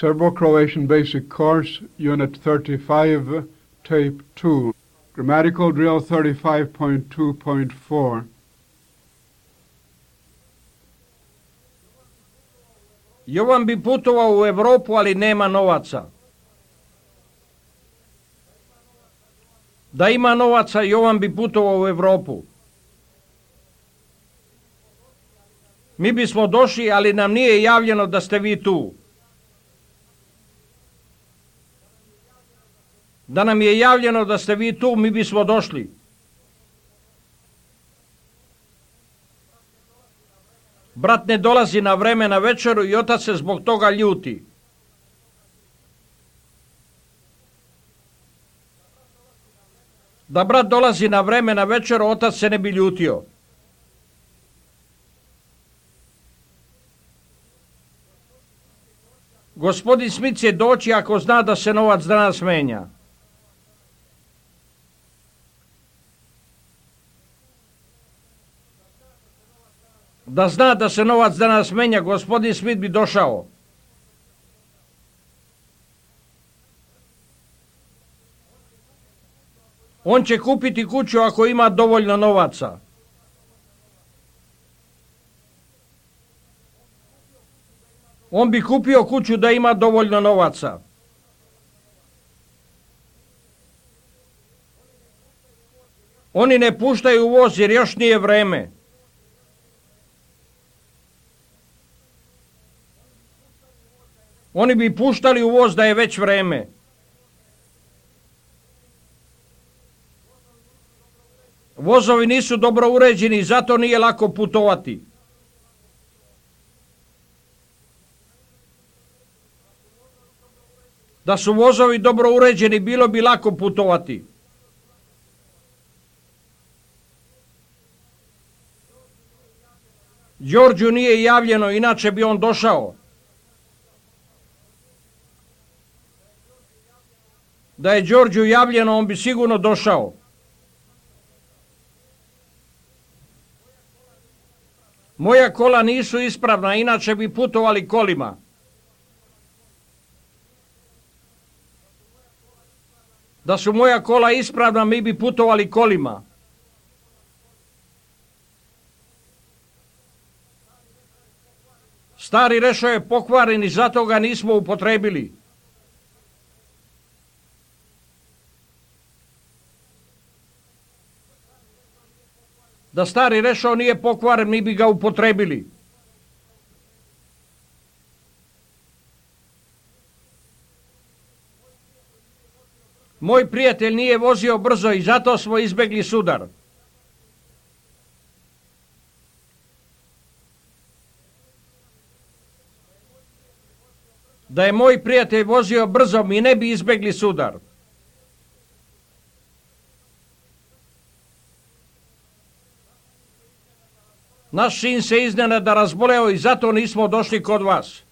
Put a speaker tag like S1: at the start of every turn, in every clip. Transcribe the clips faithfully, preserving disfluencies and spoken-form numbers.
S1: Serbo-Croatian Basic Course, Unit thirty-five, Tape two. Grammatical Drill thirty-five point two point four.
S2: Jovan bi putovao u Europu, ali nema novaca. Da ima novaca, Jovan bi putovao u Europu. Mi bismo došli, ali nam nije javljeno da ste vi tu. Da nam je javljeno da ste vi tu, mi bismo došli. Brat ne dolazi na vreme na večeru i otac se zbog toga ljuti. Da brat dolazi na vreme na večeru, otac se ne bi ljutio. Gospodin Smith će doći ako zna da se novac danas menja. Da zna da se novac danas menja, gospodin Smith bi došao. On će kupiti kuću ako ima dovoljno novaca. On bi kupio kuću da ima dovoljno novaca. Oni ne puštaju voz jer još nije vreme. Oni bi puštali u voz da je već vreme. Vozovi nisu dobro uređeni i zato nije lako putovati. Da su vozovi dobro uređeni, bilo bi lako putovati. Đorđu nije javljeno, inače bi on došao. Da je Đorđu javljeno, on bi sigurno došao. Moja kola nisu ispravna, inače bi putovali kolima. Da su moja kola ispravna, mi bi putovali kolima. Stari rešo je pokvaren i zato ga nismo upotrebili. Da stari rešo nije pokvaren, mi bi ga upotrebili. Moj prijatelj nije vozio brzo i zato smo izbegli sudar. Da je moj prijatelj vozio brzo, mi ne bi izbegli sudar. Naš sin se iznenada razboleo i zato nismo došli kod vas.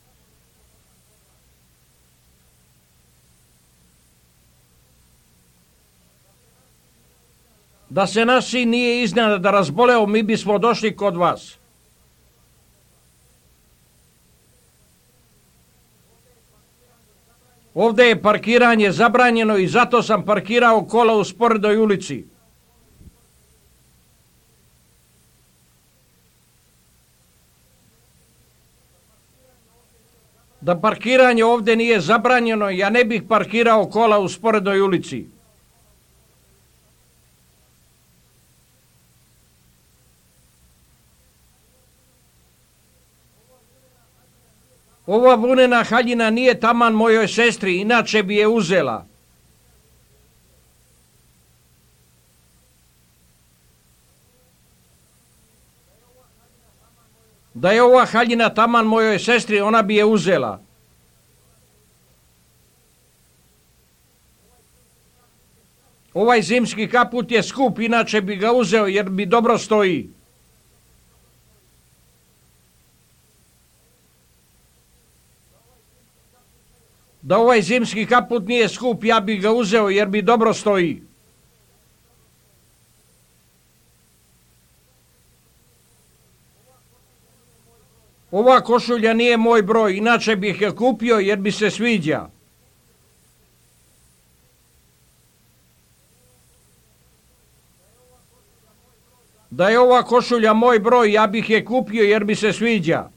S2: Da se naš sin nije iznenada razboleo, mi bismo došli kod vas. Ovdje je parkiranje zabranjeno i zato sam parkirao kola u sporednoj ulici. Da parkiranje ovdje nije zabranjeno, ja ne bih parkirao kola u sporednoj ulici. Ova vunena haljina nije taman mojoj sestri, inače bi je uzela. Da je ova haljina taman mojoj sestri, ona bi je uzela. Ovaj zimski kaput je skup, inače bi ga uzeo jer mi dobro stoji. Da ovaj zimski kaput nije skup, ja bih ga uzeo jer mi dobro stoji. Ova košulja nije moj broj, inače bih je kupio jer mi se sviđa. Da je ova košulja moj broj, ja bih je kupio jer mi se sviđa.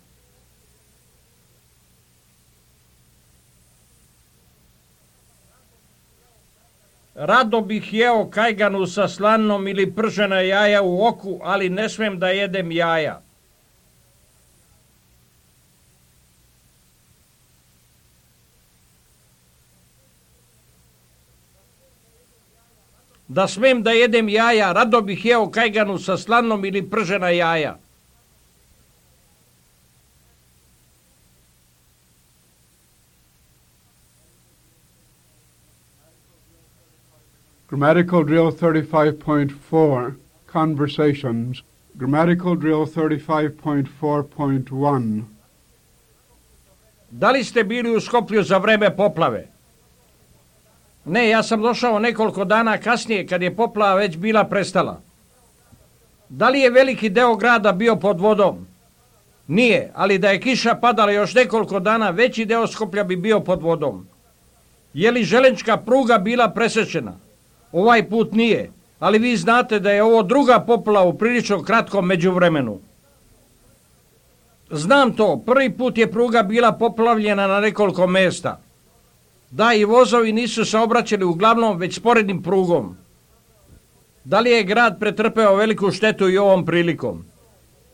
S2: Rado bih jeo kajganu sa slanom ili pržena jaja u oku, ali ne smem da jedem jaja. Da smem da jedem jaja, rado bih jeo kajganu sa slanom ili pržena jaja.
S1: Grammatical drill thirty-five point four, conversations. Grammatical drill thirty-five point four point one.
S2: Da li ste bili u Skoplju za vreme poplave? Ne, ja sam došao nekoliko dana kasnije kad je poplava već bila prestala. Da li je veliki deo grada bio pod vodom? Nije, ali da je kiša padala još nekoliko dana, veći deo Skoplja bi bio pod vodom. Je li železnička pruga bila presečena? Ovaj put nije, ali vi znate da je ovo druga poplava u prilično kratkom međuvremenu. Znam to, prvi put je pruga bila poplavljena na nekoliko mjesta. Da, i vozovi nisu saobraćali uglavnom već sporednim prugom. Da li je grad pretrpeo veliku štetu i ovom prilikom?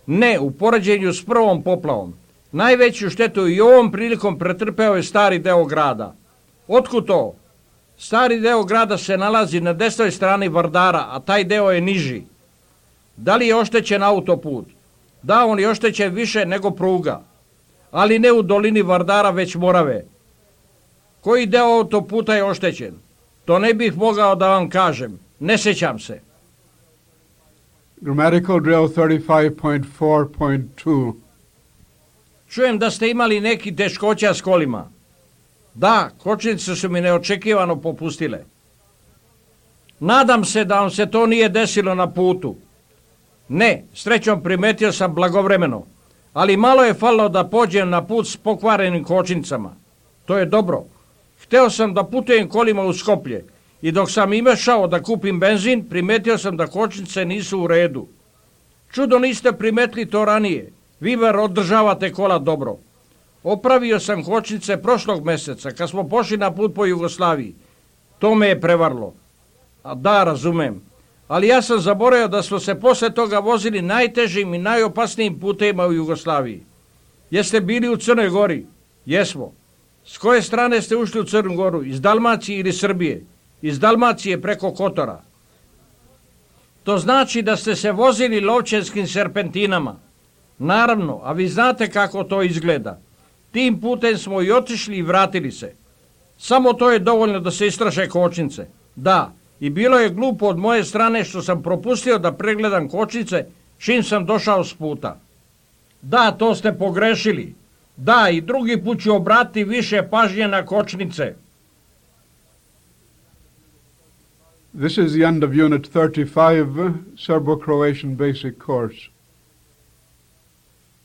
S2: Ne, u poređenju s prvom poplavom. Najveću štetu i ovom prilikom pretrpeo je stari deo grada. Otkud to? Stari deo grada se nalazi na desnoj strani Vardara, a taj deo je niži. Da li je oštećen autoput? Da, on je oštećen više nego pruga, ali ne u dolini Vardara, već Morave. Koji deo autoputa je oštećen? To ne bih mogao da vam kažem. Ne sjećam se.
S1: Grammatical drill thirty-five point four point two.
S2: Čujem da ste imali neki teškoća s kolima. Da, kočnice su mi neočekivano popustile. Nadam se da vam se to nije desilo na putu. Ne, srećom primetio sam blagovremeno, ali malo je falilo da pođem na put s pokvarenim kočnicama. To je dobro. Hteo sam da putujem kolima u Skoplje i dok sam imešao da kupim benzin, primetio sam da kočnice nisu u redu. Čudo niste primetili to ranije. Vi bar održavate kola dobro. Opravio sam kočnice prošlog mjeseca kad smo pošli na put po Jugoslaviji. To me je prevarlo. A da, razumem. Ali ja sam zaboravio da smo se posle toga vozili najtežim i najopasnijim putevima u Jugoslaviji. Jeste bili u Crnoj Gori? Jesmo. S koje strane ste ušli u Crnu Goru? Iz Dalmacije ili Srbije? Iz Dalmacije preko Kotora. To znači da ste se vozili lovčenskim serpentinama. Naravno, a vi znate kako to izgleda. Tim putem smo i otišli i vratili se. Samo to je dovoljno da se istraše kočnice. Da, i bilo je glupo od moje strane što sam propustio da pregledam kočnice čim sam došao s puta. Da, to ste pogrešili. Da, i drugi put ću obratiti više pažnje na kočnice.
S1: This is the end of Unit thirty-five, Serbo-Croatian Basic Course.